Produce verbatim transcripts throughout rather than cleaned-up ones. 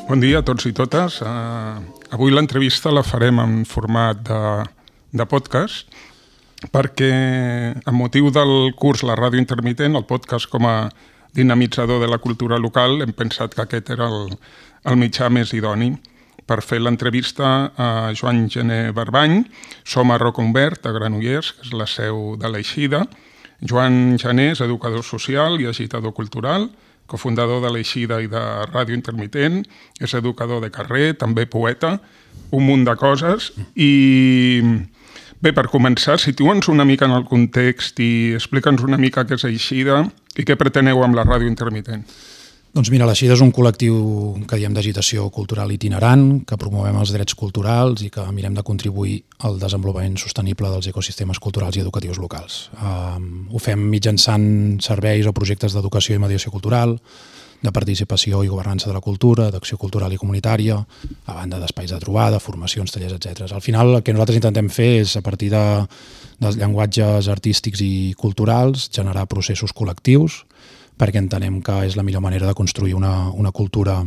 Bon dia a tots i totes. Uh, avui l'entrevista la farem en format de, de podcast perquè, amb motiu del curs La Ràdio Intermitent, el podcast com a dinamitzador de la cultura local, hem pensat que aquest era el, el mitjà més idoni per fer l'entrevista a Joan Gené Barbany. Som a Roca Umbert, a Granollers, que és la seu de l'Eixida. Joan Gené és educador social i agitador cultural, cofundador de l'Eixida i de Ràdio Intermitent, és educador de carrer, també poeta, un munt de coses. I bé, per començar, situa'ns una mica en el context i explica'ns una mica què és Eixida i què preteneu amb la Ràdio Intermitent. Doncs mira, l'Eixida és un col·lectiu que diem d'agitació cultural itinerant, que promovem els drets culturals i que mirem de contribuir al desenvolupament sostenible dels ecosistemes culturals i educatius locals. Um, ho fem mitjançant serveis o projectes d'educació i mediació cultural, de participació i governança de la cultura, d'acció cultural i comunitària, a banda d'espais de trobada, formacions, tallers, etcètera. Al final, el que nosaltres intentem fer és, a partir de, dels llenguatges artístics i culturals, generar processos col·lectius, perquè entenem que és la millor manera de construir una, una cultura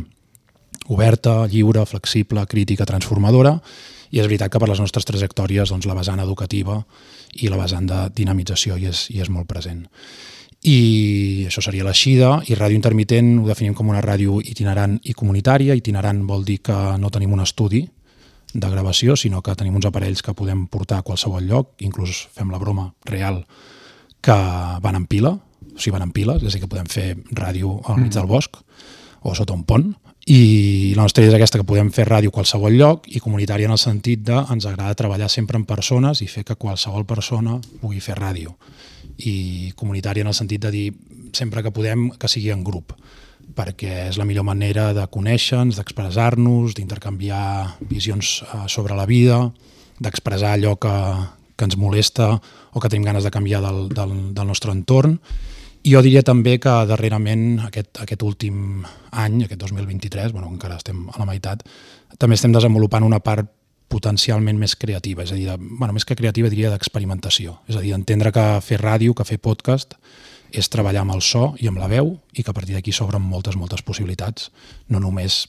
oberta, lliure, flexible, crítica, transformadora, i és veritat que per les nostres trajectòries doncs, la vessant educativa i la vessant de dinamització hi és, hi és molt present. I això seria l'Eixida, i Ràdio Intermitent ho definim com una ràdio itinerant i comunitària. Itinerant vol dir que no tenim un estudi de gravació, sinó que tenim uns aparells que podem portar a qualsevol lloc, inclús fem la broma real que van en pila, o sigui, van en piles, és a dir, que podem fer ràdio al mig del bosc o sota un pont, i la nostra idea és aquesta, que podem fer ràdio a qualsevol lloc, i comunitària en el sentit de ens agrada treballar sempre en persones i fer que qualsevol persona pugui fer ràdio, i comunitària en el sentit de dir sempre que podem que sigui en grup, perquè és la millor manera de conèixer-nos, d'expressar-nos, d'intercanviar visions sobre la vida, d'expressar allò que, que ens molesta o que tenim ganes de canviar del, del, del nostre entorn. I jo diria també que darrerament, aquest, aquest últim any, aquest dos mil vint-i-tres, bueno, encara estem a la meitat, també estem desenvolupant una part potencialment més creativa, és a dir, de, bueno, més que creativa diria d'experimentació, és a dir, entendre que fer ràdio, que fer podcast, és treballar amb el so i amb la veu, i que a partir d'aquí s'obren moltes, moltes possibilitats, no només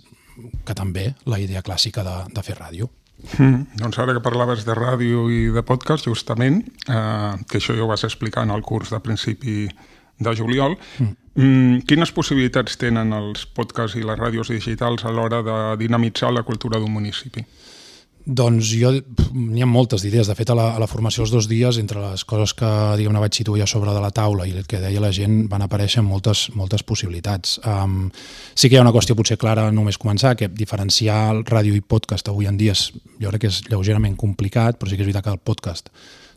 que també la idea clàssica de, de fer ràdio. Mm, doncs ara que parlaves de ràdio i de podcast, justament, eh, que això ja ho vas explicar en el curs de principi de juliol, mm. Mm, quines possibilitats tenen els podcasts i les ràdios digitals a l'hora de dinamitzar la cultura d'un municipi? Doncs jo, n'hi ha moltes idees. De fet, a la, a la formació els dos dies, entre les coses que diguem-ne vaig situar ja sobre de la taula i el que deia la gent, van aparèixer moltes, moltes possibilitats. Um, sí que hi ha una qüestió potser clara només començar, que diferenciar el ràdio i podcast avui en dia és, jo crec que és lleugerament complicat, però sí que és veritat que el podcast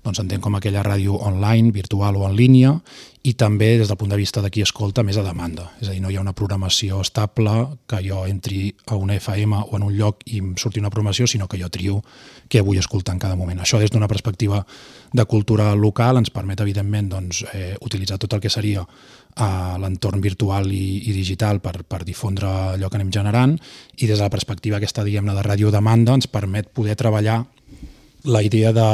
doncs s'entén com aquella ràdio online, virtual o en línia, i també des del punt de vista de qui escolta més a demanda. És a dir, no hi ha una programació estable que jo entri a una F M o en un lloc i em surti una programació, sinó que jo trio què vull escoltar en cada moment. Això des d'una perspectiva de cultura local ens permet, evidentment, doncs, eh, utilitzar tot el que seria eh, l'entorn virtual i, i digital per, per difondre allò que anem generant, i des de la perspectiva aquesta, diguem-ne, de radiodemanda ens permet poder treballar la idea de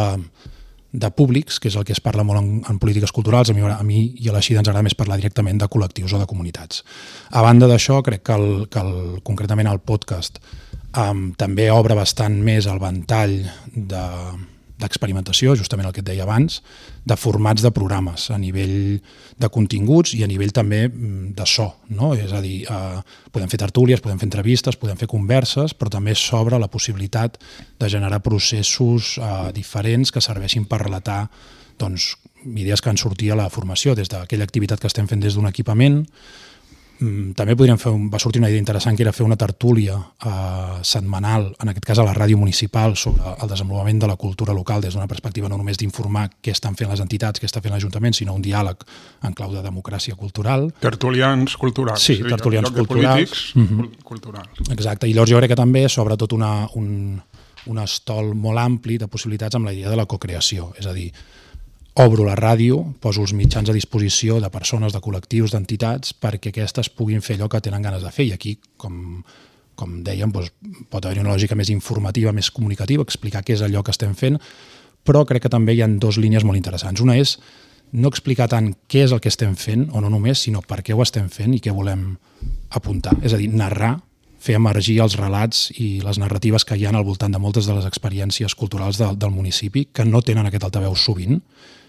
de públics, que és el que es parla molt en, en polítiques culturals. A mi, a mi i a l'Eixida ens agrada més parlar directament de col·lectius o de comunitats. A banda d'això, crec que, el, que el, concretament el podcast um, també obre bastant més el ventall de, d'experimentació, justament el que et deia abans, de formats de programes a nivell de continguts i a nivell també de so, no? És a dir, eh, podem fer tertúlies, podem fer entrevistes, podem fer converses, però també s'obre la possibilitat de generar processos eh, diferents que serveixin per relatar doncs, idees que han sortit a la formació, des d'aquella activitat que estem fent des d'un equipament. També podríem fer, un, va sortir una idea interessant, que era fer una tertúlia eh, setmanal, en aquest cas a la ràdio municipal, sobre el desenvolupament de la cultura local des d'una perspectiva no només d'informar què estan fent les entitats, què està fent l'Ajuntament, sinó un diàleg en clau de democràcia cultural. Tertulians culturals. Sí, tertulians sí, culturals. Polítics, mm-hmm. culturals. Exacte, i llavors jo crec que també sobretot una, un, un estol molt ampli de possibilitats amb la idea de la cocreació, és a dir, obro la ràdio, poso els mitjans a disposició de persones, de col·lectius, d'entitats, perquè aquestes puguin fer allò que tenen ganes de fer. I aquí, com, com dèiem, doncs, pot haver una lògica més informativa, més comunicativa, explicar què és allò que estem fent, però crec que també hi ha dues línies molt interessants. Una és no explicar tant què és el que estem fent, o no només, sinó per què ho estem fent i què volem apuntar. És a dir, narrar fer emergir els relats i les narratives que hi ha al voltant de moltes de les experiències culturals de, del municipi, que no tenen aquest altaveu sovint,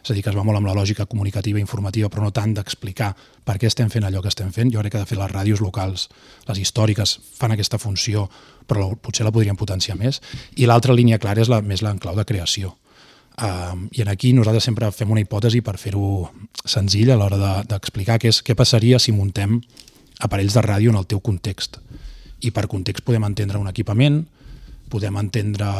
és a dir, que es va molt amb la lògica comunicativa i informativa, però no tant d'explicar per què estem fent allò que estem fent. Jo crec que de fet les ràdios locals, les històriques, fan aquesta funció, però potser la podrien potenciar més. I l'altra línia clara és la, més l'enclau de creació. Uh, I aquí nosaltres sempre fem una hipòtesi per fer-ho senzill a l'hora de, d'explicar què, és, què passaria si muntem aparells de ràdio en el teu context. I per context podem entendre un equipament, podem entendre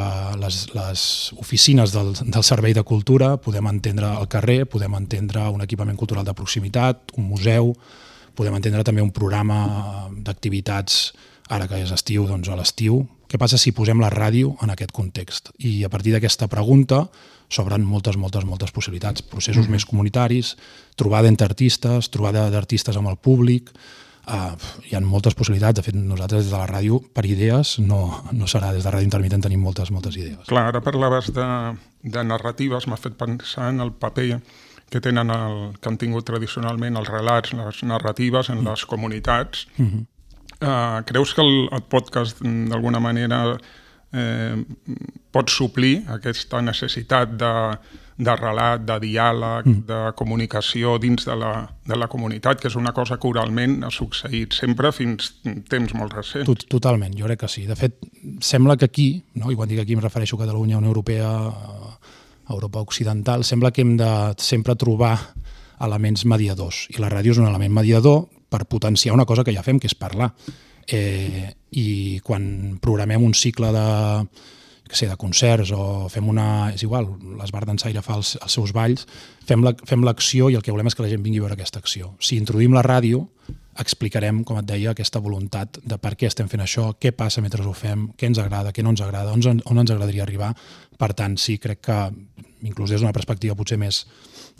les, les oficines del, del Servei de Cultura, podem entendre el carrer, podem entendre un equipament cultural de proximitat, un museu, podem entendre també un programa d'activitats, ara que és estiu, doncs a l'estiu. Què passa si posem la ràdio en aquest context? I a partir d'aquesta pregunta s'obren moltes, moltes, moltes possibilitats. Processos mm-hmm. més comunitaris, trobada entre artistes, trobada d'artistes amb el públic. Uh, hi ha moltes possibilitats. De fet, nosaltres des de la ràdio, per idees, no, no serà. Des de Ràdio Intermitent tenim moltes, moltes idees. Clar, ara parlaves de, de narratives, m'ha fet pensar en el paper que tenen el, que han tingut tradicionalment els relats, les narratives en mm. les comunitats. Mm-hmm. Uh, creus que el, el podcast d'alguna manera eh, pot suplir aquesta necessitat de, de relat, de diàleg, mm. de comunicació dins de la, de la comunitat, que és una cosa que oralment ha succeït sempre fins temps molt recents? Tot, totalment, jo crec que sí. De fet, sembla que aquí, no? I quan dic aquí em refereixo a Catalunya, Unió Europea, a Europa Occidental, sembla que hem de sempre trobar elements mediadors. I la ràdio és un element mediador per potenciar una cosa que ja fem, que és parlar. Eh, I quan programem un cicle de, que sé, de concerts o fem una... És igual, l'Esbar Dansaire fa els, els seus balls, fem, la, fem l'acció i el que volem és que la gent vingui a veure aquesta acció. Si introduïm la ràdio, explicarem, com et deia, aquesta voluntat de per què estem fent això, què passa mentre ho fem, què ens agrada, què no ens agrada, on, on ens agradaria arribar. Per tant, sí, crec que, inclús des d'una perspectiva potser més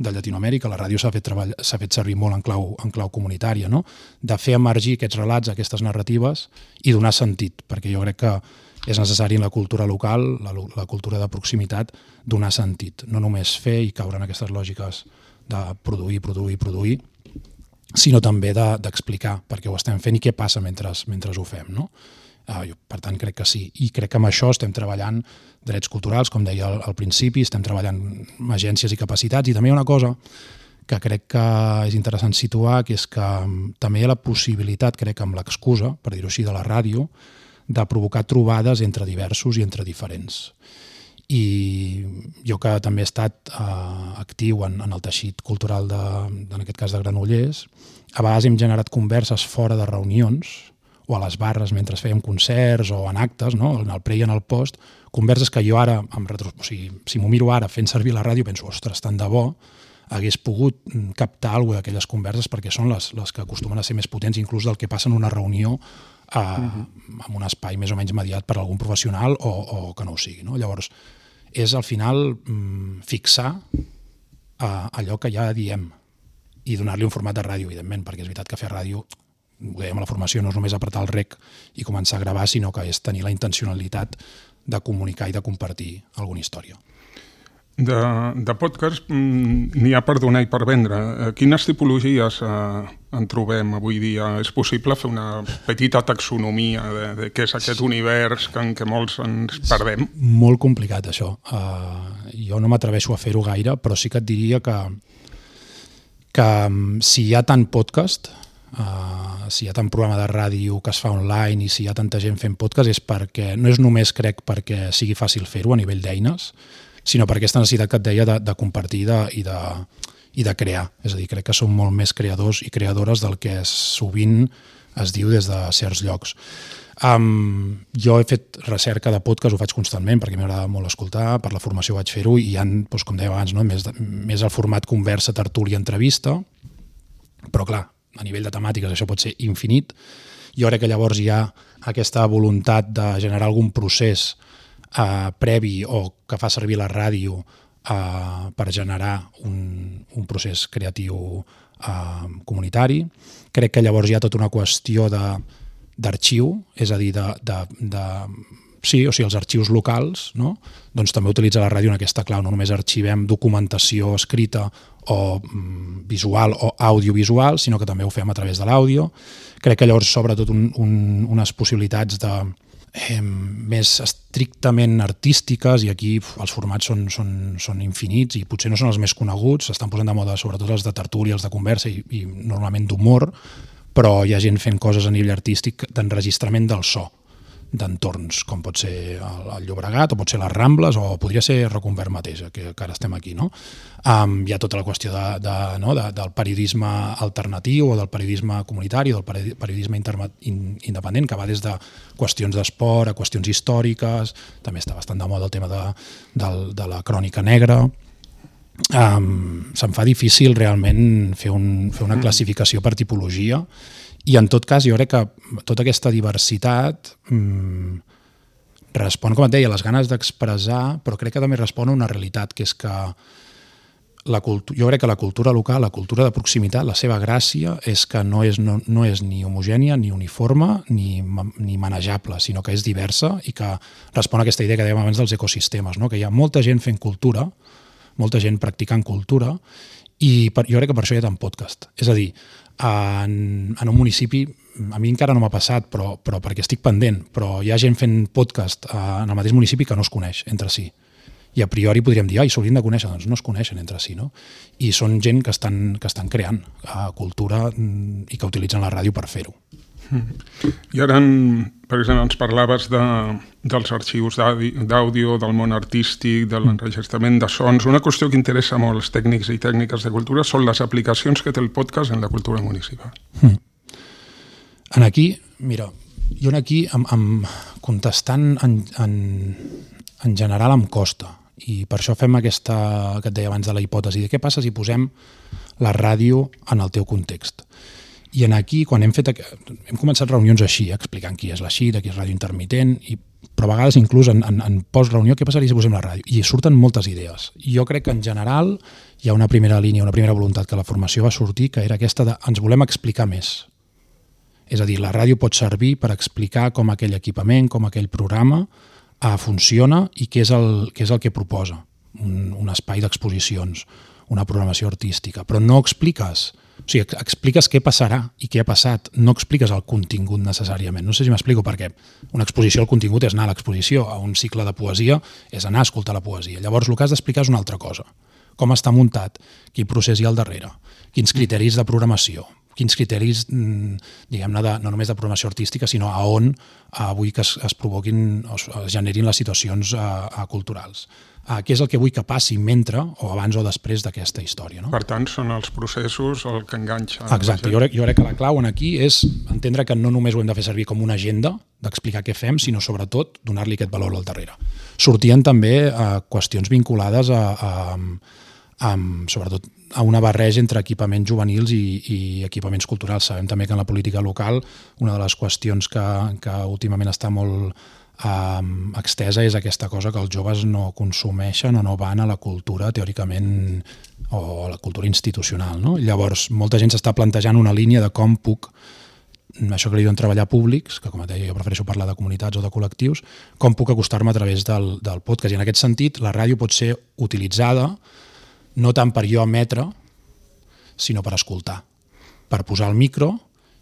de Llatinoamèrica, la ràdio s'ha fet, treball, s'ha fet servir molt en clau, en clau comunitària, no? De fer emergir aquests relats, aquestes narratives i donar sentit, perquè jo crec que és necessari en la cultura local, la, la cultura de proximitat, donar sentit, no només fer i caure en aquestes lògiques de produir, produir, produir, sinó també de, d'explicar per què ho estem fent i què passa mentre, mentre ho fem, no? Uh, jo, per tant, crec que sí. I crec que amb això estem treballant drets culturals, com deia al, al principi, estem treballant amb agències i capacitats, i també hi ha una cosa que crec que és interessant situar, que és que també hi ha la possibilitat, crec, amb l'excusa, per dir-ho així, de la ràdio, de provocar trobades entre diversos i entre diferents. I jo que també he estat uh, actiu en, en el teixit cultural, de, en aquest cas de Granollers, a vegades hem generat converses fora de reunions, o a les barres mentre fèiem concerts o en actes, no? En el pre i en el post, converses que jo ara, amb retro... o sigui, si m'ho miro ara fent servir la ràdio, penso, ostres, tant de bo, hagués pogut captar alguna d'aquelles converses perquè són les, les que acostumen a ser més potents, inclús del que passa en una reunió eh, uh-huh. en un espai més o menys mediat per algun professional o, o que no ho sigui. No? Llavors, és al final mm, fixar eh, allò que ja diem i donar-li un format de ràdio, evidentment, perquè és veritat que fer ràdio, ho dèiem a la formació, no és només apretar el rec i començar a gravar, sinó que és tenir la intencionalitat de comunicar i de compartir alguna història. De, de podcast n'hi ha per donar i per vendre. Quines tipologies eh, en trobem avui dia? És possible fer una petita taxonomia de, de què és aquest univers que, en què molts ens perdem? Molt complicat, això. Uh, jo no m'atreveixo a fer-ho gaire, però sí que et diria que, que si hi ha tant podcast... Uh, si hi ha tant programa de ràdio que es fa online i si hi ha tanta gent fent podcast és perquè, no és només crec perquè sigui fàcil fer-ho a nivell d'eines, sinó per aquesta necessitat que et deia de, de compartir de, i, de, i de crear. És a dir, crec que som molt més creadors i creadores del que sovint es diu des de certs llocs. Um, jo he fet recerca de podcast, ho faig constantment perquè m'agrada molt escoltar, per la formació vaig fer-ho i hi ha, doncs, com deia abans, no? més, de, més el format conversa, tertúlia, entrevista, però clar, a nivell de temàtiques això pot ser infinit. Jo crec que llavors hi ha aquesta voluntat de generar algun procés eh, previ o que fa servir la ràdio eh, per generar un, un procés creatiu eh, comunitari. Crec que llavors hi ha tota una qüestió de, d'arxiu, és a dir, de, de, de sí, o sigui, els arxius locals, no? Doncs també utilitza la ràdio en aquesta clau. No només arxivem documentació escrita o mm, visual o audiovisual, sinó que també ho fem a través de l'àudio. Crec que llavors s'obre tot un, un, unes possibilitats de, eh, més estrictament artístiques, i aquí uf, els formats són, són, són infinits i potser no són els més coneguts, s'estan posant de moda sobretot els de tertúlia, els de conversa i, i normalment d'humor, però hi ha gent fent coses a nivell artístic d'enregistrament del so, d'entorns, com pot ser el, el Llobregat, o pot ser les Rambles, o podria ser Reconvert mateix, que, que ara estem aquí, no? Um, hi ha tota la qüestió de, de, no, de, del periodisme alternatiu, o del periodisme comunitari, o del periodisme interma, in, independent, que va des de qüestions d'esport a qüestions històriques, també està bastant de moda el tema de, de, de la crònica negra. Um, se'm fa difícil realment fer, un, fer una classificació per tipologia, i en tot cas jo crec que tota aquesta diversitat mmm, respon, com et deia, a les ganes d'expressar, però crec que també respon a una realitat, que és que la cultu- jo crec que la cultura local, la cultura de proximitat, la seva gràcia és que no és, no, no és ni homogènia, ni uniforme, ni, ni manejable, sinó que és diversa i que respon a aquesta idea que dèiem abans dels ecosistemes, no? Que hi ha molta gent fent cultura, molta gent practicant cultura, i per, jo crec que per això hi ha tant podcast. És a dir, en, en un municipi, a mi encara no m'ha passat, però, però perquè estic pendent, però hi ha gent fent podcast en el mateix municipi que no es coneix entre si. I a priori podríem dir, ai, s'haurien de conèixer, doncs no es coneixen entre si, no? I són gent que estan, que estan creant uh, cultura i que utilitzen la ràdio per fer-ho. I ara, per exemple, ens parlaves de, dels arxius d'àudio, del món artístic, de l'enregistrament de sons. Una qüestió que interessa molt als tècnics i tècniques de cultura són les aplicacions que té el podcast en la cultura municipal. Mm. En aquí, mira, jo aquí, amb, amb, contestant en, en, en general em costa, i per això fem aquesta, que et deia abans de la hipòtesi, de què passa si posem la ràdio en el teu context. I en aquí, quan hem fet, hem començat reunions així, explicant qui és la X I D, qui és ràdio intermitent, i, però a vegades inclús en, en, en post-reunió, què passaria si posem la ràdio? I surten moltes idees. I jo crec que en general hi ha una primera línia, una primera voluntat que la formació va sortir, que era aquesta de ens volem explicar més. És a dir, la ràdio pot servir per explicar com aquell equipament, com aquell programa eh, funciona i què és el, què és el que proposa. Un, un espai d'exposicions, una programació artística, però no expliques... O sigui, expliques què passarà i què ha passat, no expliques el contingut necessàriament. No sé si m'explico, perquè una exposició, el contingut és anar a l'exposició, a un cicle de poesia és anar a escoltar la poesia. Llavors el que has d'explicar és una altra cosa. Com està muntat, quin procés hi ha al darrere, quins criteris de programació, quins criteris, diguem-ne, de, no només de programació artística, sinó a on avui que es, es provoquin o es generin les situacions a, a culturals. Uh, què és el que vull que passi mentre o abans o després d'aquesta història. No? Per tant, són els processos el que enganxa. Exacte, jo crec, jo crec que la clau en aquí és entendre que no només ho hem de fer servir com una agenda d'explicar què fem, sinó sobretot donar-li aquest valor al darrere. Sortien també uh, qüestions vinculades a, a, a, sobretot a una barreja entre equipaments juvenils i, i equipaments culturals. Sabem també que en la política local una de les qüestions que, que últimament està molt Um, extesa és aquesta cosa que els joves no consumeixen o no van a la cultura teòricament o a la cultura institucional, no? Llavors molta gent s'està plantejant una línia de com puc, això que li diuen treballar públics, que com et deia jo prefereixo parlar de comunitats o de col·lectius, com puc acostar-me a través del, del podcast. I en aquest sentit la ràdio pot ser utilitzada no tant per jo emetre, sinó per escoltar, per posar el micro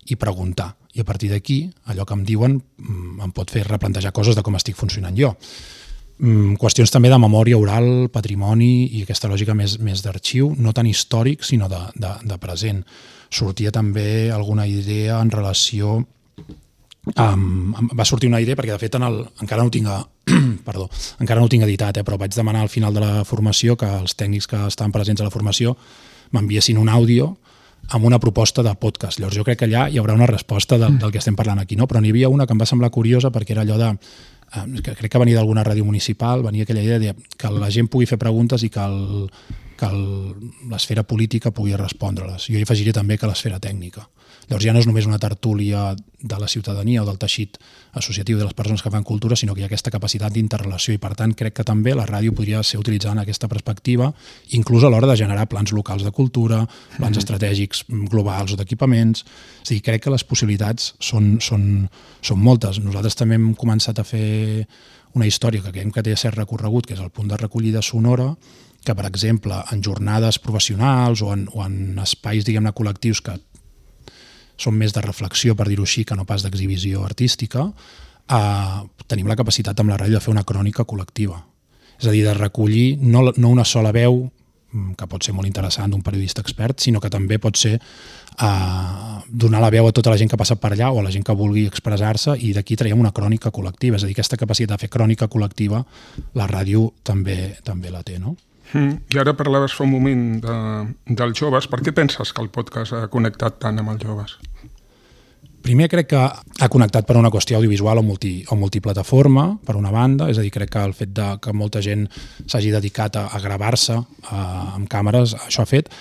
i preguntar. I a partir d'aquí, allò que em diuen em pot fer replantejar coses de com estic funcionant jo. Qüestions també de memòria oral, patrimoni i aquesta lògica més, més d'arxiu, no tan històric, sinó de, de, de present. Sortia també alguna idea en relació... Um, va sortir una idea, perquè de fet en el, encara no ho tinc, perdó, encara no ho tinc editat, eh, però vaig demanar al final de la formació que els tècnics que estaven presents a la formació m'enviessin un àudio amb una proposta de podcast. Llavors jo crec que allà hi haurà una resposta del, del que estem parlant aquí, no? Però n'hi havia una que em va semblar curiosa perquè era allò de, eh, que crec que venia d'alguna ràdio municipal, venia aquella idea de que la gent pugui fer preguntes i que el, que l'esfera política pugui respondre-les. Jo hi afegiré també que l'esfera tècnica. Llavors ja no és només una tertúlia de la ciutadania o del teixit associatiu de les persones que fan cultura, sinó que hi ha aquesta capacitat d'interrelació i per tant crec que també la ràdio podria ser utilitzada en aquesta perspectiva, inclús a l'hora de generar plans locals de cultura, plans mm. estratègics globals o d'equipaments. És a dir, crec que les possibilitats són, són, són moltes. Nosaltres també hem començat a fer una història que creiem que té cert recorregut, que és el punt de recollida sonora, que per exemple en jornades professionals o en, o en espais diguem-ne col·lectius que són més de reflexió, per dir-ho així, que no pas d'exhibició artística, eh, tenim la capacitat amb la ràdio de fer una crònica col·lectiva. És a dir, de recollir no, no una sola veu, que pot ser molt interessant d'un periodista expert, sinó que també pot ser eh, donar la veu a tota la gent que passa per allà o a la gent que vulgui expressar-se i d'aquí traiem una crònica col·lectiva. És a dir, aquesta capacitat de fer crònica col·lectiva la ràdio també, també la té, no? Mm, I ara parlaves fa un moment de, dels joves. Per què penses que el podcast ha connectat tant amb els joves? Primer crec que ha connectat per una qüestió audiovisual o, multi, o multiplataforma, per una banda, és a dir, crec que el fet de que molta gent s'hagi dedicat a, a gravar-se a, amb càmeres, això ha fet.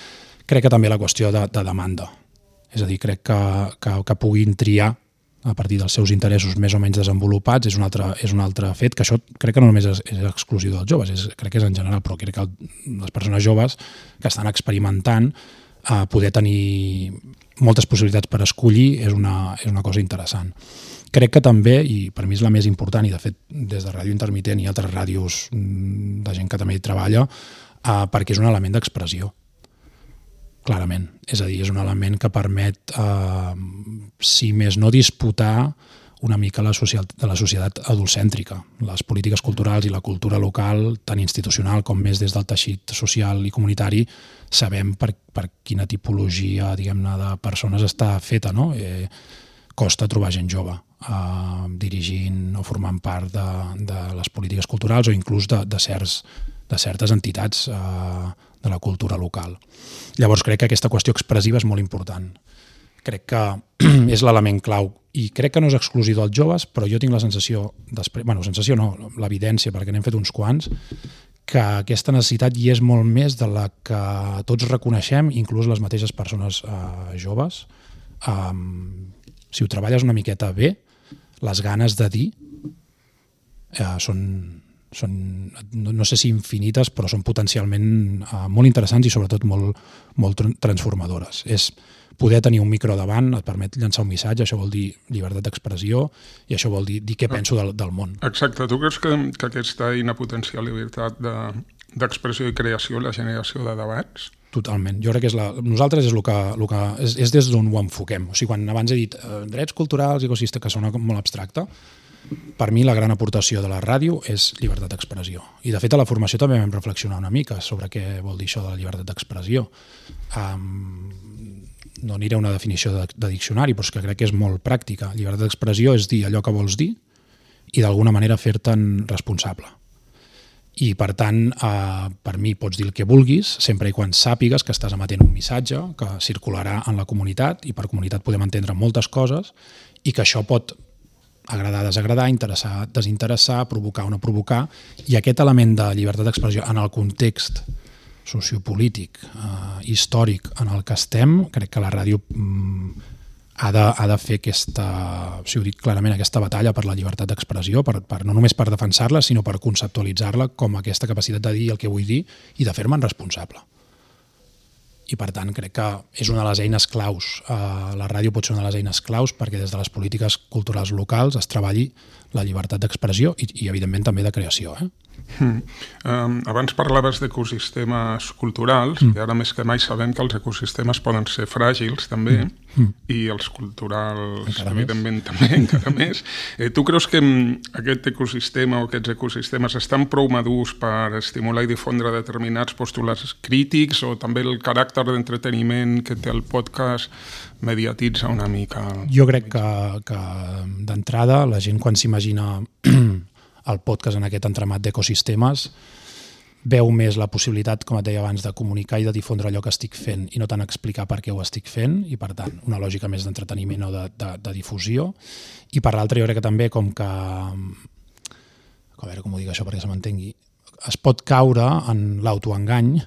Crec que també la qüestió de, de demanda. És a dir, crec que, que, que puguin triar a partir dels seus interessos més o menys desenvolupats és un altre, és un altre fet, que això crec que no només és, és exclusiu dels joves, és, crec que és en general, però crec que el, les persones joves que estan experimentant eh, poder tenir moltes possibilitats per escollir és una, és una cosa interessant. Crec que també, i per mi és la més important, i de fet des de Ràdio Intermitent i altres ràdios de gent que també hi treballa, eh, perquè és un element d'expressió. Clarament. És a dir, és un element que permet, eh, si més no, disputar una mica la, social, de la societat adulcèntrica. Les polítiques culturals i la cultura local, tant institucional com més des del teixit social i comunitari, sabem per, per quina tipologia, diguem-ne, de persones està feta, no? Eh, costa trobar gent jove eh, dirigint o formant part de, de les polítiques culturals o inclús de, de, certs, de certes entitats eh, de la cultura local. Llavors crec que aquesta qüestió expressiva és molt important. Crec que és l'element clau i crec que no és exclusiu dels joves, però jo tinc la sensació, després, bueno, sensació no, l'evidència, perquè n'hem fet uns quants, que aquesta necessitat hi és molt més de la que tots reconeixem, inclús les mateixes persones eh, joves. Um, si ho treballes una miqueta bé, les ganes de dir eh, són... són, no, no sé si infinites, però són potencialment uh, molt interessants i sobretot molt, molt transformadores. És poder tenir un micro davant, et permet llançar un missatge, això vol dir llibertat d'expressió i això vol dir, dir què penso del, del món. Exacte. Tu creus que, que aquesta eina potencia la llibertat de, d'expressió i creació, la generació de debats? Totalment. Jo crec que és la, nosaltres és, el que, el que, és, és des d'on ho enfoquem. O sigui, quan abans he dit eh, drets culturals, ecosistema, que sona molt abstracte, per mi la gran aportació de la ràdio és llibertat d'expressió. I de fet a la formació també vam reflexionar una mica sobre què vol dir això de la llibertat d'expressió. Um, no aniré a una definició de, de diccionari, però és que crec que és molt pràctica. Llibertat d'expressió és dir allò que vols dir i d'alguna manera fer-te'n responsable. I per tant, eh, per mi pots dir el que vulguis, sempre i quan sàpigues que estàs emetent un missatge que circularà en la comunitat i per comunitat podem entendre moltes coses i que això pot agradar, desagradar, interessar, desinteressar, provocar o no provocar, i aquest element de llibertat d'expressió en el context sociopolític, eh, històric en el que estem, crec que la ràdio mm, ha, de, ha de fer aquesta, si ho dic clarament, aquesta batalla per la llibertat d'expressió, per, per, no només per defensar-la, sinó per conceptualitzar-la com aquesta capacitat de dir el que vull dir i de fer-me'n responsable. I per tant crec que és una de les eines claus. Uh, la ràdio pot ser una de les eines claus perquè des de les polítiques culturals locals es treballi la llibertat d'expressió i, i evidentment també de creació. Eh? Mm. Um, abans parlaves d'ecosistemes culturals mm. i ara més que mai sabem que els ecosistemes poden ser fràgils també mm. Mm. i els culturals encara evidentment més. també encara més. Eh, tu creus que aquest ecosistema o aquests ecosistemes estan prou madurs per estimular i difondre determinats postulats crítics o també el caràcter d'entreteniment que té el podcast mediatitza una mica? Jo crec que, que d'entrada la gent quan s'imagina el podcast en aquest entramat d'ecosistemes veu més la possibilitat, com et deia abans, de comunicar i de difondre allò que estic fent i no tant explicar per què ho estic fent i per tant una lògica més d'entreteniment o de, de, de difusió i per l'altra jo crec que també com que a veure com ho dic això perquè se m'entengui es pot caure en l'autoengany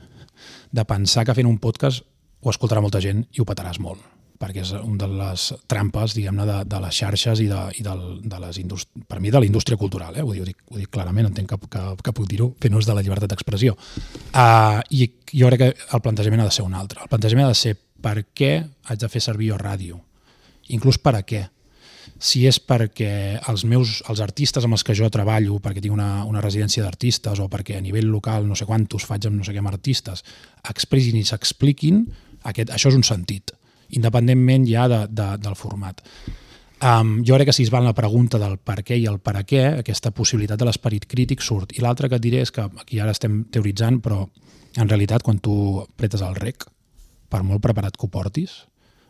de pensar que fent un podcast ho escoltarà molta gent i ho petaràs molt, perquè és una de les trampes, diguem-ne, de, de les xarxes i, de, i del, de les indústries, per mi de la indústria cultural, eh? ho, dic, ho, dic, ho dic clarament, entenc que, que, que puc dir-ho, fent ús de la llibertat d'expressió. Uh, I jo crec que el plantejament ha de ser un altre. El plantejament ha de ser per què haig de fer servir jo ràdio, inclús per a què. Si és perquè els meus els artistes amb els que jo treballo, perquè tinc una, una residència d'artistes o perquè a nivell local no sé quantos faig amb no sé què amb artistes, expressin i s'expliquin, aquest, això és un sentit, independentment ja de, de, del format. Um, jo crec que si es va en la pregunta del per què i el per a què, aquesta possibilitat de l'esperit crític surt. I l'altre que et diré és que aquí ara estem teoritzant, però en realitat quan tu pretes el rec, per molt preparat que ho portis,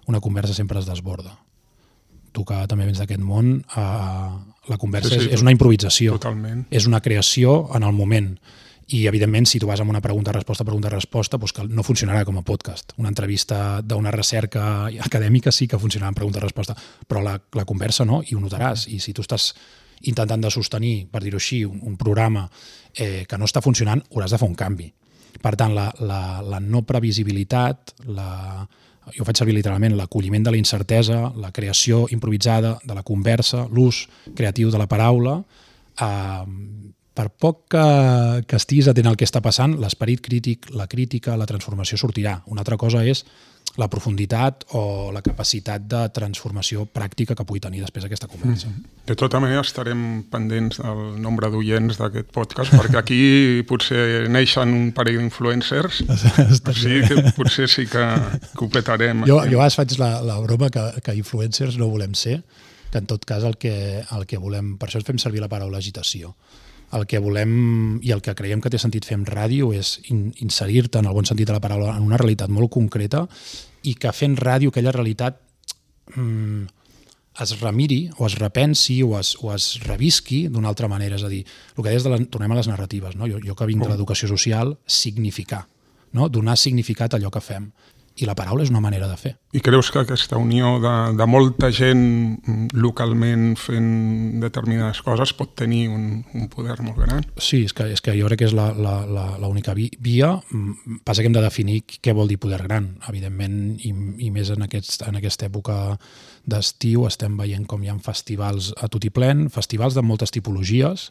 una conversa sempre es desborda. Tu que també vens d'aquest món, uh, la conversa sí, sí, és, és una improvisació. Totalment. És una creació en el moment. I, evidentment, si tu vas amb una pregunta-resposta, pregunta-resposta, doncs que no funcionarà com a podcast. Una entrevista d'una recerca acadèmica sí que funcionarà en pregunta-resposta, però la, la conversa no, i ho notaràs. I si tu estàs intentant de sostenir, per dir-ho així, un, un programa eh, que no està funcionant, hauràs de fer un canvi. Per tant, la, la, la no previsibilitat, la, jo faig servir literalment l'acolliment de la incertesa, la creació improvisada de la conversa, l'ús creatiu de la paraula, eh, per poc que, que estiguis atent al que està passant, l'esperit crític, la crítica, la transformació sortirà. Una altra cosa és la profunditat o la capacitat de transformació pràctica que pugui tenir després aquesta conversa. Mm-hmm. De tota manera estarem pendents del nombre d'oients d'aquest podcast, perquè aquí potser neixen un parell d'influencers, o sigui que potser sí que, que ho petarem. Jo, jo a vegades faig la, la broma que, que influencers no volem ser, que en tot cas el que, el que volem, per això fem servir la paraula agitació. El que volem i el que creiem que té sentit fer amb ràdio és in, inserir-te, en el bon sentit de la paraula, en una realitat molt concreta i que fent ràdio aquella realitat mm, es remiri o es repensi o es, o es revisqui d'una altra manera. És a dir, el que deies de les, tornem a les narratives, no? jo, jo que vinc de l'educació social, significar, no? Donar significat a allò que fem. I la paraula és una manera de fer. I creus que aquesta unió de, de molta gent localment fent determinades coses pot tenir un, un poder molt gran? Sí, és que, és que jo crec que és l'única via. Passa que hem de definir què vol dir poder gran, evidentment, i, i més en, aquest, en aquesta època d'estiu estem veient com hi ha festivals a tot i plen, festivals de moltes tipologies.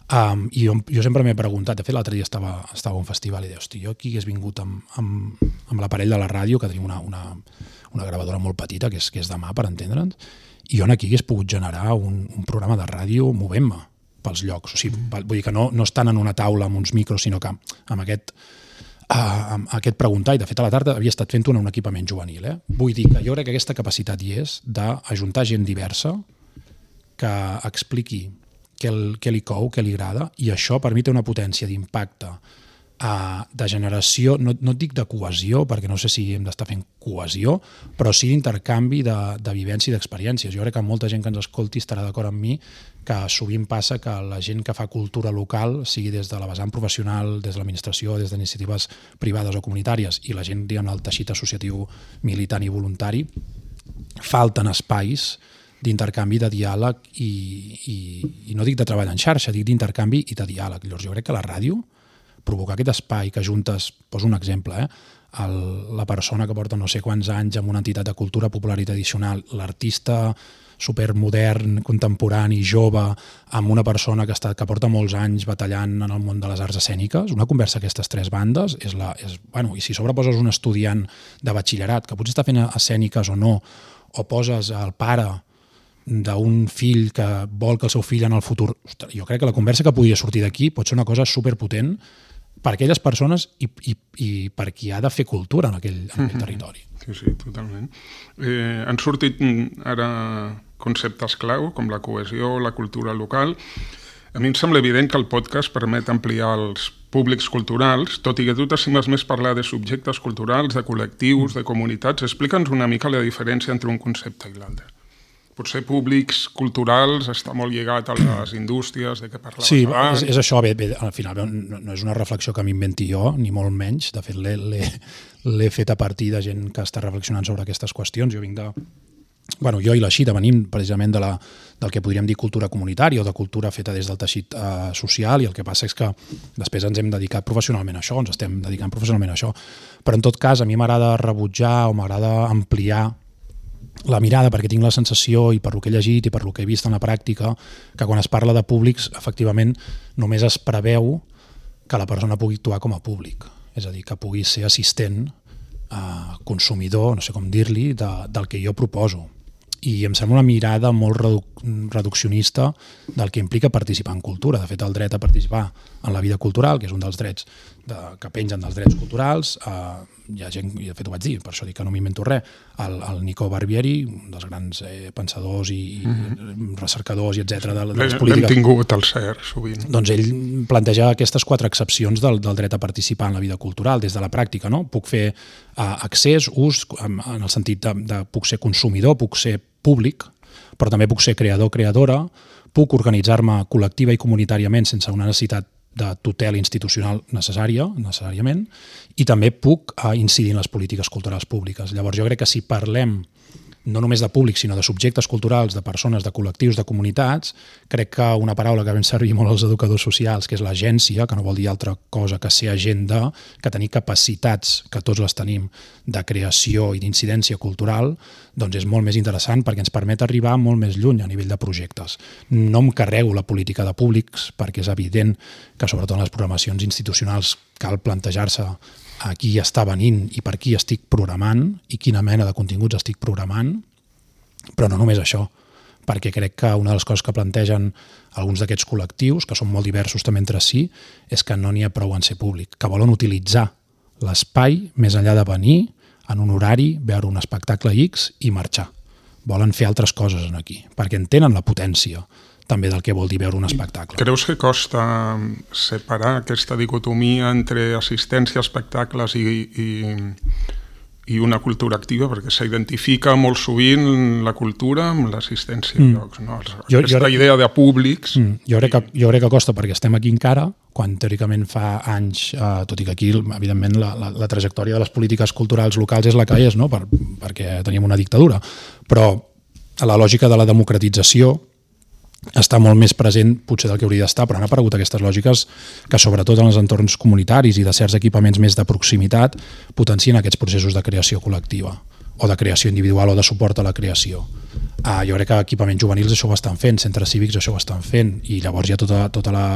Um, i jo, jo sempre m'he preguntat, de fet l'altre dia estava, estava a un festival i deia, hosti, jo aquí hagués vingut amb, amb, amb l'aparell de la ràdio, que tenim una, una, una gravadora molt petita, que és, que és de mà, per entendre'ns, i jo aquí hagués pogut generar un, un programa de ràdio movent-me pels llocs. O sigui, vull dir que no, no estan en una taula amb uns micros, sinó que amb aquest, uh, amb aquest preguntar, i de fet a la tarda havia estat fent-ho en un equipament juvenil. Eh? Vull dir que jo crec que aquesta capacitat hi és d'ajuntar gent diversa que expliqui què, el, què li cou, què li agrada, i això per mi té una potència d'impacte, uh, de generació, no, no et dic de cohesió, perquè no sé si hem d'estar fent cohesió, però sí d'intercanvi de, de vivència i d'experiències. Jo crec que molta gent que ens escolti estarà d'acord amb mi que sovint passa que la gent que fa cultura local, sigui des de la vessant professional, des de l'administració, des d'iniciatives privades o comunitàries, i la gent, diguem, el teixit associatiu militant i voluntari, falten espais d'intercanvi, de diàleg i, i, i no dic de treball en xarxa, dic d'intercanvi i de diàleg. Llavors jo crec que la ràdio, provocar aquest espai que juntes, poso un exemple, eh? El, la persona que porta no sé quants anys en una entitat de cultura popular i tradicional, l'artista supermodern, contemporani, jove, amb una persona que, està, que porta molts anys batallant en el món de les arts escèniques, una conversa aquestes tres bandes, és la, és, bueno, i si sobreposes un estudiant de batxillerat que potser està fent escèniques o no, o poses el pare d'un fill que vol que el seu fill en el futur... Ostres, jo crec que la conversa que podria sortir d'aquí pot ser una cosa superpotent per a aquelles persones i, i, i per qui ha de fer cultura en aquell, en aquell territori. Sí, sí, totalment. Eh, han sortit ara conceptes clau, com la cohesió, la cultura local. A mi em sembla evident que el podcast permet ampliar els públics culturals, tot i que tu t'estimes més parlar de subjectes culturals, de col·lectius, de comunitats. Explica'ns una mica la diferència entre un concepte i l'altre. Potser públics culturals està molt lligat a les indústries de què parlaves sí, abans. Sí, és, és això. Bé, bé, al final no, no és una reflexió que m'inventi jo, ni molt menys. De fet, l'he fet a partir de gent que està reflexionant sobre aquestes qüestions. Jo vinc de... Bueno, jo i la Xita venim precisament de la, del que podríem dir cultura comunitària o de cultura feta des del teixit eh, social, i el que passa és que després ens hem dedicat professionalment a això, ens estem dedicant professionalment a això. Però en tot cas, a mi m'agrada rebutjar o m'agrada ampliar la mirada, perquè tinc la sensació, i per lo que he llegit i per lo que he vist en la pràctica, que quan es parla de públics, efectivament, només es preveu que la persona pugui actuar com a públic. És a dir, que pugui ser assistent, eh, consumidor, no sé com dir-li, de, del que jo proposo. I em sembla una mirada molt reduc reduccionista del que implica participar en cultura. De fet, el dret a participar en la vida cultural, que és un dels drets de, que pengen dels drets culturals, eh, hi ha gent, i de fet ho vaig dir, per això dic que no m'invento res, el, el Nico Barbieri, un dels grans eh, pensadors i, mm-hmm. i recercadors i etcètera de, de les polítiques. L'hem tingut al C E R sovint. Doncs ell planteja aquestes quatre excepcions del, del dret a participar en la vida cultural des de la pràctica, no? Puc fer uh, accés, ús, en, en el sentit de, de puc ser consumidor, puc ser públic, però també puc ser creador, creadora, puc organitzar-me col·lectiva i comunitàriament sense una necessitat de tutela institucional necessària, necessàriament, i també puc uh, incidir en les polítiques culturals públiques. Llavors jo crec que si parlem no només de públics, sinó de subjectes culturals, de persones, de col·lectius, de comunitats, crec que una paraula que vam servir molt als educadors socials, que és l'agència, que no vol dir altra cosa que ser agent de, que tenir capacitats, que tots les tenim, de creació i d'incidència cultural, doncs és molt més interessant perquè ens permet arribar molt més lluny a nivell de projectes. No em carrego la política de públics, perquè és evident que sobretot en les programacions institucionals cal plantejar-se a qui està venint i per qui estic programant i quina mena de continguts estic programant, però no només això, perquè crec que una de les coses que plantegen alguns d'aquests col·lectius, que són molt diversos també entre si, és que no n'hi ha prou en ser públic, que volen utilitzar l'espai més enllà de venir en un horari, veure un espectacle X i marxar. Volen fer altres coses aquí, perquè entenen la potència també del que vol dir veure un espectacle. Creus que costa separar aquesta dicotomia entre assistència a espectacles i, i, i una cultura activa? Perquè s'identifica molt sovint la cultura amb l'assistència a mm. llocs. No? Jo, aquesta jo, idea de públics... Mm, jo, crec que, jo crec que costa perquè estem aquí encara, quan teòricament fa anys, eh, tot i que aquí, evidentment, la, la, la trajectòria de les polítiques culturals locals és la que és, no? per, perquè teníem una dictadura. Però a la lògica de la democratització està molt més present potser del que hauria d'estar, però han aparegut aquestes lògiques que sobretot en els entorns comunitaris i de certs equipaments més de proximitat potencien aquests processos de creació col·lectiva o de creació individual o de suport a la creació. Uh, jo crec que equipaments juvenils això ho estan fent, centres cívics això ho estan fent, i llavors hi ha tota, tota la,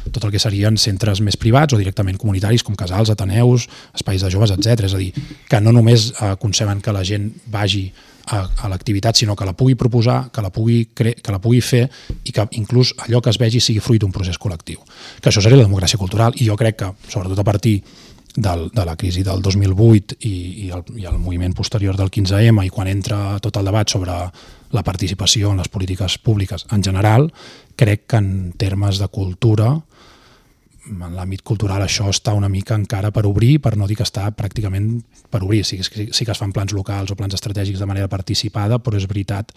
tot el que serien centres més privats o directament comunitaris com casals, ateneus, espais de joves, etcètera. És a dir, que no només uh, conceben que la gent vagi a, a l'activitat, sinó que la pugui proposar, que la pugui, cre que la pugui fer i que inclús allò que es vegi sigui fruit d'un procés col·lectiu. Que això seria la democràcia cultural, i jo crec que, sobretot a partir del, de la crisi del dos mil vuit i, i, el, i el moviment posterior del quinze ema, i quan entra tot el debat sobre la participació en les polítiques públiques en general, crec que en termes de cultura, en l'àmbit cultural això està una mica encara per obrir, per no dir que està pràcticament per obrir. Sí, sí, sí que es fan plans locals o plans estratègics de manera participada, però és veritat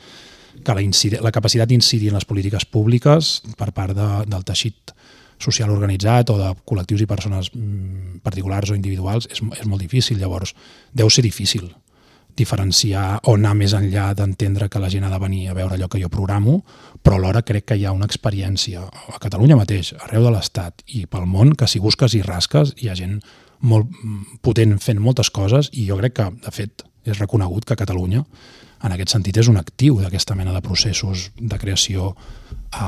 que la, la capacitat d'incidir en les polítiques públiques per part de, del teixit social organitzat o de col·lectius i persones particulars o individuals és, és molt difícil. Llavors, deu ser difícil diferenciar o anar més enllà d'entendre que la gent ha de venir a veure allò que jo programo, però alhora crec que hi ha una experiència a Catalunya mateix, arreu de l'Estat i pel món, que si busques i rasques hi ha gent molt potent fent moltes coses, i jo crec que, de fet, és reconegut que Catalunya en aquest sentit és un actiu d'aquesta mena de processos de creació,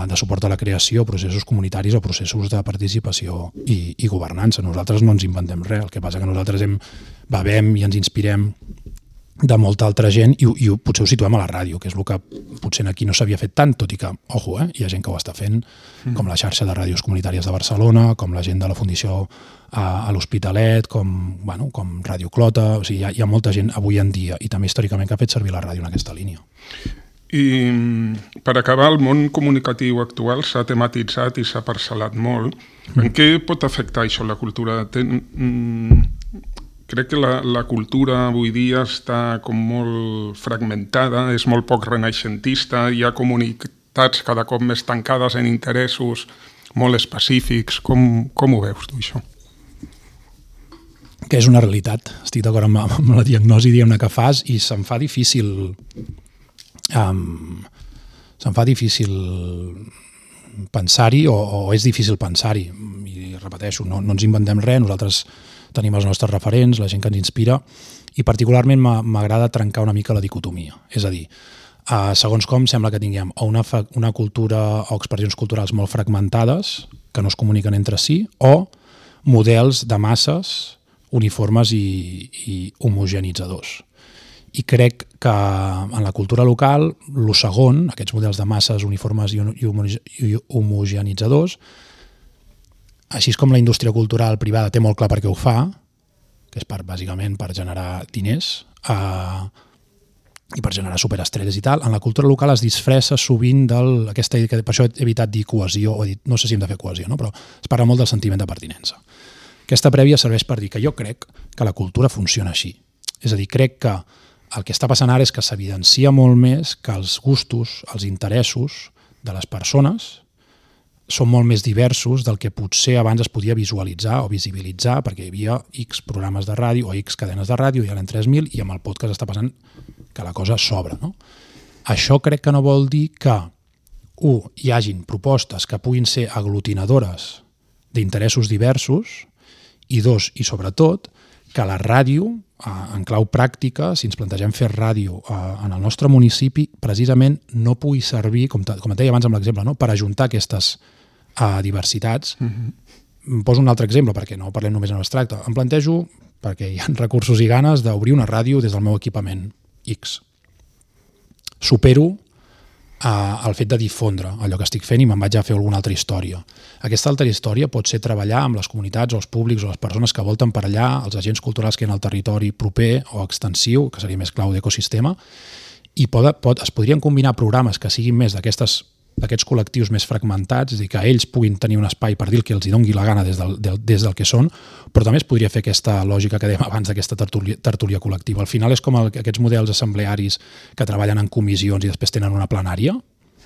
de suport a la creació, processos comunitaris o processos de participació i, i governança. Nosaltres no ens inventem res, el que passa que nosaltres hem, bevem i ens inspirem de molta altra gent, i, i potser ho situem a la ràdio, que és el que potser aquí no s'havia fet tant, tot i que, ojo, eh, hi ha gent que ho està fent, mm. com la xarxa de ràdios comunitàries de Barcelona, com la gent de la Fundació a, a l'Hospitalet, com, bueno, com Ràdio Clota, o sigui, hi ha, hi ha molta gent avui en dia, i també històricament, que ha fet servir la ràdio en aquesta línia. I per acabar, el món comunicatiu actual s'ha tematitzat i s'ha parcel·lat molt. Mm. En què pot afectar això la cultura? Ten, mm, Crec que la, la cultura avui dia està com molt fragmentada, és molt poc renaixentista, hi ha comunitats cada cop més tancades en interessos molt específics. Com, com ho veus tu, això? Que és una realitat. Estic d'acord amb, amb la diagnosi, diguem-ne, que fas, i se'm fa difícil um, se'm fa difícil pensar-hi o, o és difícil pensar-hi. I repeteixo, no, no ens inventem res, nosaltres tenim els nostres referents, la gent que ens inspira, i particularment m'agrada trencar una mica la dicotomia. És a dir, eh, segons com sembla que tinguem o una, una cultura o expressions culturals molt fragmentades que no es comuniquen entre si, o models de masses uniformes i, i homogenitzadors. I crec que en la cultura local, el segon, aquests models de masses uniformes i homogenitzadors, així com la indústria cultural privada té molt clar per què ho fa, que és per, bàsicament per generar diners eh, i per generar superestrelles i tal, en la cultura local es disfressa sovint del, aquesta, per això he evitat dir cohesió, o dit, no sé si hem de fer cohesió, no? Però es parla molt del sentiment de pertinença. Aquesta prèvia serveix per dir que jo crec que la cultura funciona així. És a dir, crec que el que està passant ara és que s'evidencia molt més que els gustos, els interessos de les persones són molt més diversos del que potser abans es podia visualitzar o visibilitzar, perquè hi havia X programes de ràdio o X cadenes de ràdio, i ara en tres mil, i amb el podcast està passant que la cosa s'obre. No? Això crec que no vol dir que, u, hi hagin propostes que puguin ser aglutinadores d'interessos diversos, i dos, i sobretot, que la ràdio, en clau pràctica, si ens plantegem fer ràdio en el nostre municipi, precisament no pugui servir, com et deia abans amb l'exemple, no? Per ajuntar aquestes diversitats. Mm-hmm. Poso un altre exemple, perquè no parlem només en abstracte. Em plantejo, perquè hi ha recursos i ganes, d'obrir una ràdio des del meu equipament X. Supero el fet de difondre allò que estic fent i me'n vaig a fer alguna altra història. Aquesta altra història pot ser treballar amb les comunitats o els públics o les persones que volten per allà, els agents culturals que hi ha al territori proper o extensiu, que seria més clau d'ecosistema, i pot, pot, es podrien combinar programes que siguin més d'aquestes d'aquests col·lectius més fragmentats, és a dir, que ells puguin tenir un espai per dir el que els hi doni la gana des del, del, des del que són, però també es podria fer aquesta lògica que dèiem abans d'aquesta tertúlia, tertúlia col·lectiva. Al final és com el, aquests models assemblearis que treballen en comissions i després tenen una plenària,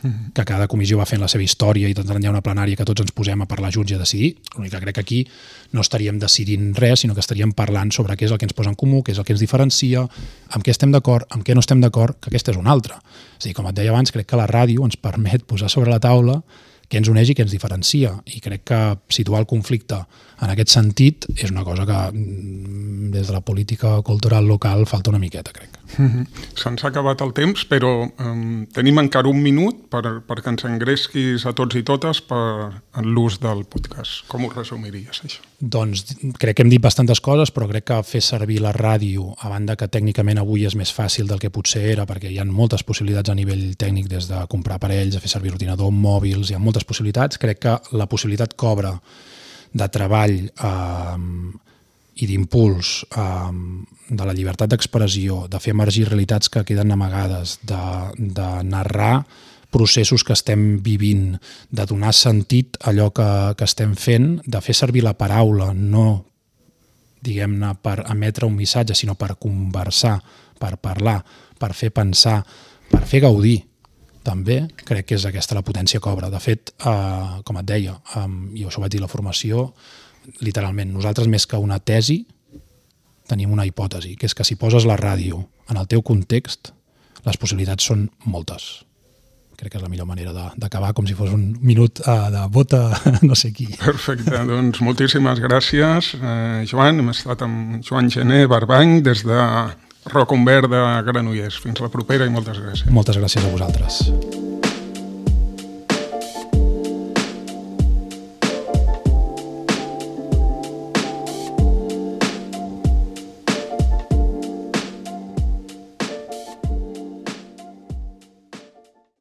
que cada comissió va fent la seva història i doncs hi ha una plenària que tots ens posem a parlar junts i a decidir. L'únic que crec que aquí no estaríem decidint res, sinó que estaríem parlant sobre què és el que ens posa en comú, què és el que ens diferencia, amb què estem d'acord, amb què no estem d'acord, que aquesta és una altra. És a dir, com et deia abans, crec que la ràdio ens permet posar sobre la taula què ens uneix i què ens diferencia, i crec que situar el conflicte en aquest sentit és una cosa que des de la política cultural local falta una miqueta, crec. Mm-hmm. Se'ns ha acabat el temps, però um, tenim encara un minut per, perquè ens engresquis a tots i totes per l'ús del podcast. Com ho resumiries, això? Doncs crec que hem dit bastantes coses, però crec que fer servir la ràdio, a banda que tècnicament avui és més fàcil del que potser era, perquè hi ha moltes possibilitats a nivell tècnic, des de comprar aparells, a fer servir ordinador, mòbils, hi ha moltes possibilitats. Crec que la possibilitat que obre de treball eh, i d'impuls eh, de la llibertat d'expressió, de fer emergir realitats que queden amagades, de, de narrar processos que estem vivint, de donar sentit a allò que, que estem fent, de fer servir la paraula, no diguem-ne per emetre un missatge, sinó per conversar, per parlar, per fer pensar, per fer gaudir. També crec que és aquesta la potència que obre. De fet, eh, com et deia, eh, i això ho vaig dir a la formació, literalment, nosaltres més que una tesi tenim una hipòtesi, que és que si poses la ràdio en el teu context, les possibilitats són moltes. Crec que és la millor manera d'acabar, com si fos un minut uh, de bota no sé qui. Perfecte, doncs moltíssimes gràcies, eh, Joan. Hem estat amb Joan Gené Barbany des de Roc Umbert de Granollers. Fins la propera i moltes gràcies. Moltes gràcies a vosaltres.